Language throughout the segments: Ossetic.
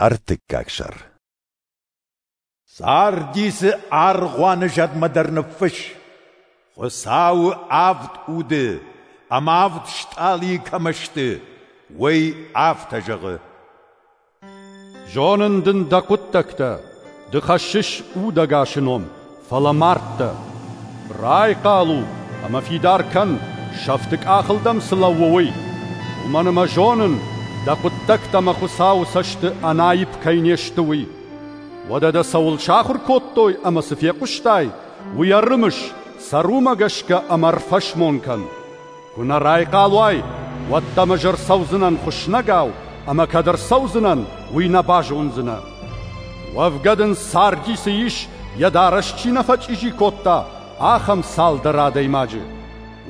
Ӕртыккаг сӕр. Сардисы аргъуаны зӕдмӕ дӕр ныффысс: Хуыцауы авд уды ӕмӕ авд стъалыйы кӕмӕ сты, уый афтӕ зӕгъы: Зонын дын дӕ хъуыддӕгтӕ, ды хӕссыс удӕгасы ном, фӕлӕ мардтӕ. Райхъал у ӕмӕ фидар кӕн, сӕфты къахыл дӕм цы лӕууы, уый. Уымӕн ӕмӕ зонын, дӕ хъуыддӕгтӕ мӕ Хуыцауы цӕсты ӕнаипп кӕй не сты, уый. Уӕдӕ дӕ цӕуыл сахуыр кодтой ӕмӕ цы фехъуыстай, уый ӕрымыс, цӕр уымӕ гӕсгӕ ӕмӕ ӕрфӕсмон кӕн. Куы нӕ райхъал уай, уӕд дӕм ӕз ӕрцӕудзынӕн хуыснӕгау, ӕмӕ кӕд ӕрцӕудзынӕн, уый нӕ базондзынӕ. Уӕвгӕ дын Сардисы ис, йӕ дарӕс чи нӕ фӕчъизи кодта, ахӕм цалдӕр адӕймаджы.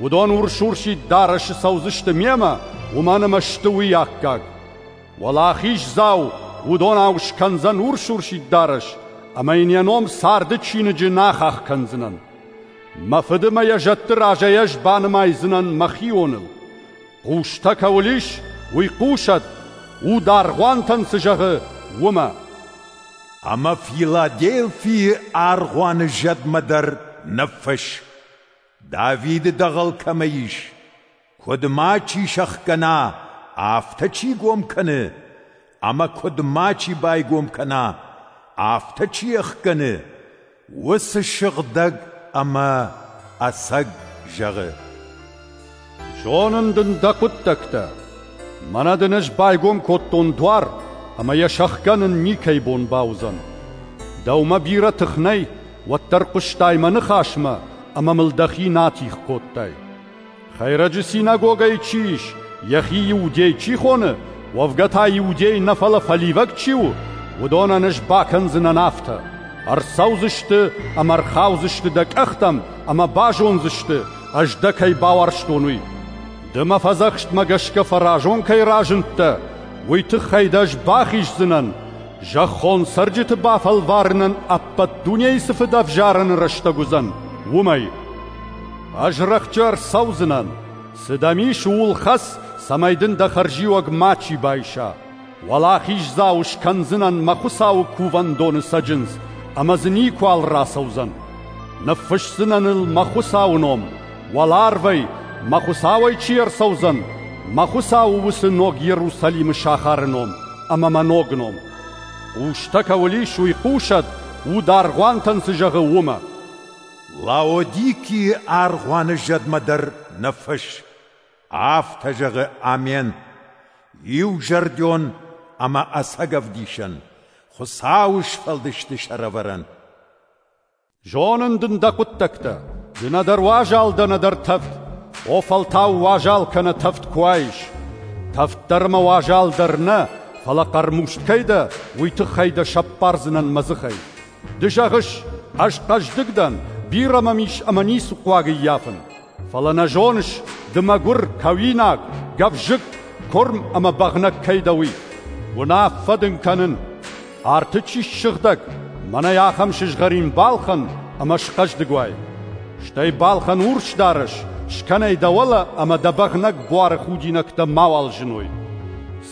Уыдон урс-урсид дарӕсы цӕудзысты мемӕ, уымӕн ӕмӕ сты уый аккаг. Уӕлахиздзау уыдонау скӕндзӕн урс-урсид дарӕс, ӕмӕ йын йӕ ном царды чиныджы нӕ ахахх кӕндзынӕн. Мӕ фыды мӕ йӕ зӕдты разӕй ӕз банымайдзынӕн мӕхионыл. Хъустӕ кӕуыл ис, уый хъусӕд, уд аргъуантӕн цы зӕгъы, уымӕ. Ӕмӕ Филаделфийы аргъуаны зӕдмӕ дӕр ныффысс: Давиды дӕгъӕл кӕмӕ ис, куыд мачи сӕхгӕна, афтӕ чи гом кӕны, ӕмӕ куыд мачи байгом кӕна, афтӕ чи ӕхгӕны, уыцы сыгъдӕг ӕмӕ ӕцӕг зӕгъы: Зонын дын дӕ хъуыддӕгтӕ. Мӕнӕ дын ӕз байгом кодтон дуар, ӕмӕ йӕ сӕхгӕнын никӕй бон бауыдзӕн. Дӕумӕ бирӕ тых нӕй, уӕддӕр хъуыстай мӕ ныхасмӕ, ӕмӕ мыл дӕхи нӕ атигъ кодтай. Хӕйрӕджы синагогӕйы чи ис, йӕхи иудей чи хоны, уӕвгӕ та иудей нӕ, фӕлӕ фӕливӕг чи у, уыдонӕн ӕз бакӕндзынӕн афтӕ: ӕрцӕудзысты ӕмӕ ӕрхаудзысты дӕ къӕхтӕм ӕмӕ базондзысты, ӕз дӕ кӕй бауарзтон, уый. Ды мӕ фӕдзӕхстмӕ гӕсгӕ фӕразон кӕй разындтӕ, уый тыххӕй дӕ ӕз бахиздзынӕн, зӕххон цӕрджыты бафӕлварынӕн ӕппӕт дунейы цы фыдӕвзарӕны рӕстӕг уыдзӕн, уымӕй. Ӕз рӕхджы ӕрцӕудзынӕн, цы дӕм ис, ууыл хӕц, цӕмӕй дын дӕ хӕрзиуӕг мачи байса. Уӕлахиздзау скӕндзынӕн мӕ Хуыцауы кувӕндоны цӕджындз, ӕмӕ дзы никуал рацӕудзӕн. Ныффысдзынӕн ыл мӕ Хуыцауы ном, уӕларвӕй, мӕ Хуыцауӕй чи ӕрцӕудзӕн, мӕ Хуыцауы уыцы ног Иерусалимы сахары ном ӕмӕ мӕ ног ном. Хъустӕ кӕуыл ис, уый хъусӕд, уд аргъуантӕн цы зӕгъы, уымӕ. Лаодикийы аргъуаны зӕдмӕ дӕр ныффысс: Афтӕ зӕгъы Амен, иузӕрдион ӕмӕ ӕцӕг ӕвдисӕн, Хуыцауы сфӕлдысты сӕрӕвӕрӕн. Зонын дын дӕ хъуыддӕгтӕ, ды нӕдӕр уазал дӕ, нӕдӕр тӕвд. О, фӕлтау уазал кӕнӕ тӕвд куы уаис. Тӕвд дӕр ӕмӕ уазал дӕр нӕ, фӕлӕ хъӕрмуст кӕй дӕ, уый тыххӕй дӕ сӕппардзынӕн мӕ дзыхӕй. Ды зӕгъыс, ӕз хъӕздыг дӕн, бирӕ мӕм ис ӕмӕ ницы хъуаг ӕййафын. Фӕлӕ нӕ зоныс, ды мӕгуыр, кӕуинаг, гӕвзыкк, куырм ӕмӕ бӕгънӕг кӕй дӕ, уый. Уынаффӕ дын кӕнын, арты чи ссыгъдӕг, мӕнӕй ахӕм сызгъӕрин балхӕн ӕмӕ схъӕздыг уай. Стӕй балхӕн урс дарӕс, скӕнай дӕ уӕлӕ ӕмӕ дӕ бӕгънӕг буары худинӕгтӕ мауал зыной.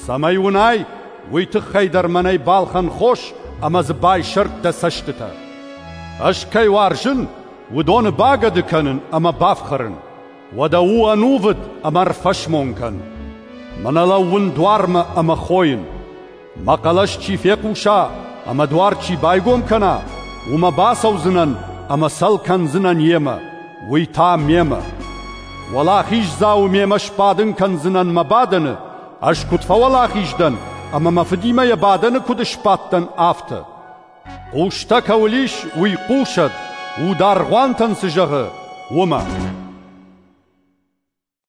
Цӕмӕй уынай, уый тыххӕй дӕр мӕнӕй балхӕн хос ӕмӕ дзы байсӕрд дӕ цӕстытӕ. Ӕз кӕй уарзын, уыдоны багӕды кӕнын ӕмӕ бафхӕрын. Уӕдӕ у ӕнувыд ӕмӕ ӕрфӕсмон кӕн. Мӕнӕ лӕууын дуармӕ ӕмӕ хойын. Мӕ хъӕлӕс чи фехъуса ӕмӕ дуар чи байгом кӕна, уымӕ бацӕудзынӕн ӕмӕ цӕл кӕндзынӕн йемӕ, уый та мемӕ. Уӕлахиздзауы мемӕ сбадын кӕндзынӕн мӕ бадӕны, ӕз куыд фӕуӕлахиз дӕн ӕмӕ мӕ фыдимӕ йӕ бадӕны куыд сбадтӕн, афтӕ. Хъустӕ кӕуыл ис, уый хъусӕд, уд аргъуантӕн цы зӕгъы, уымӕ.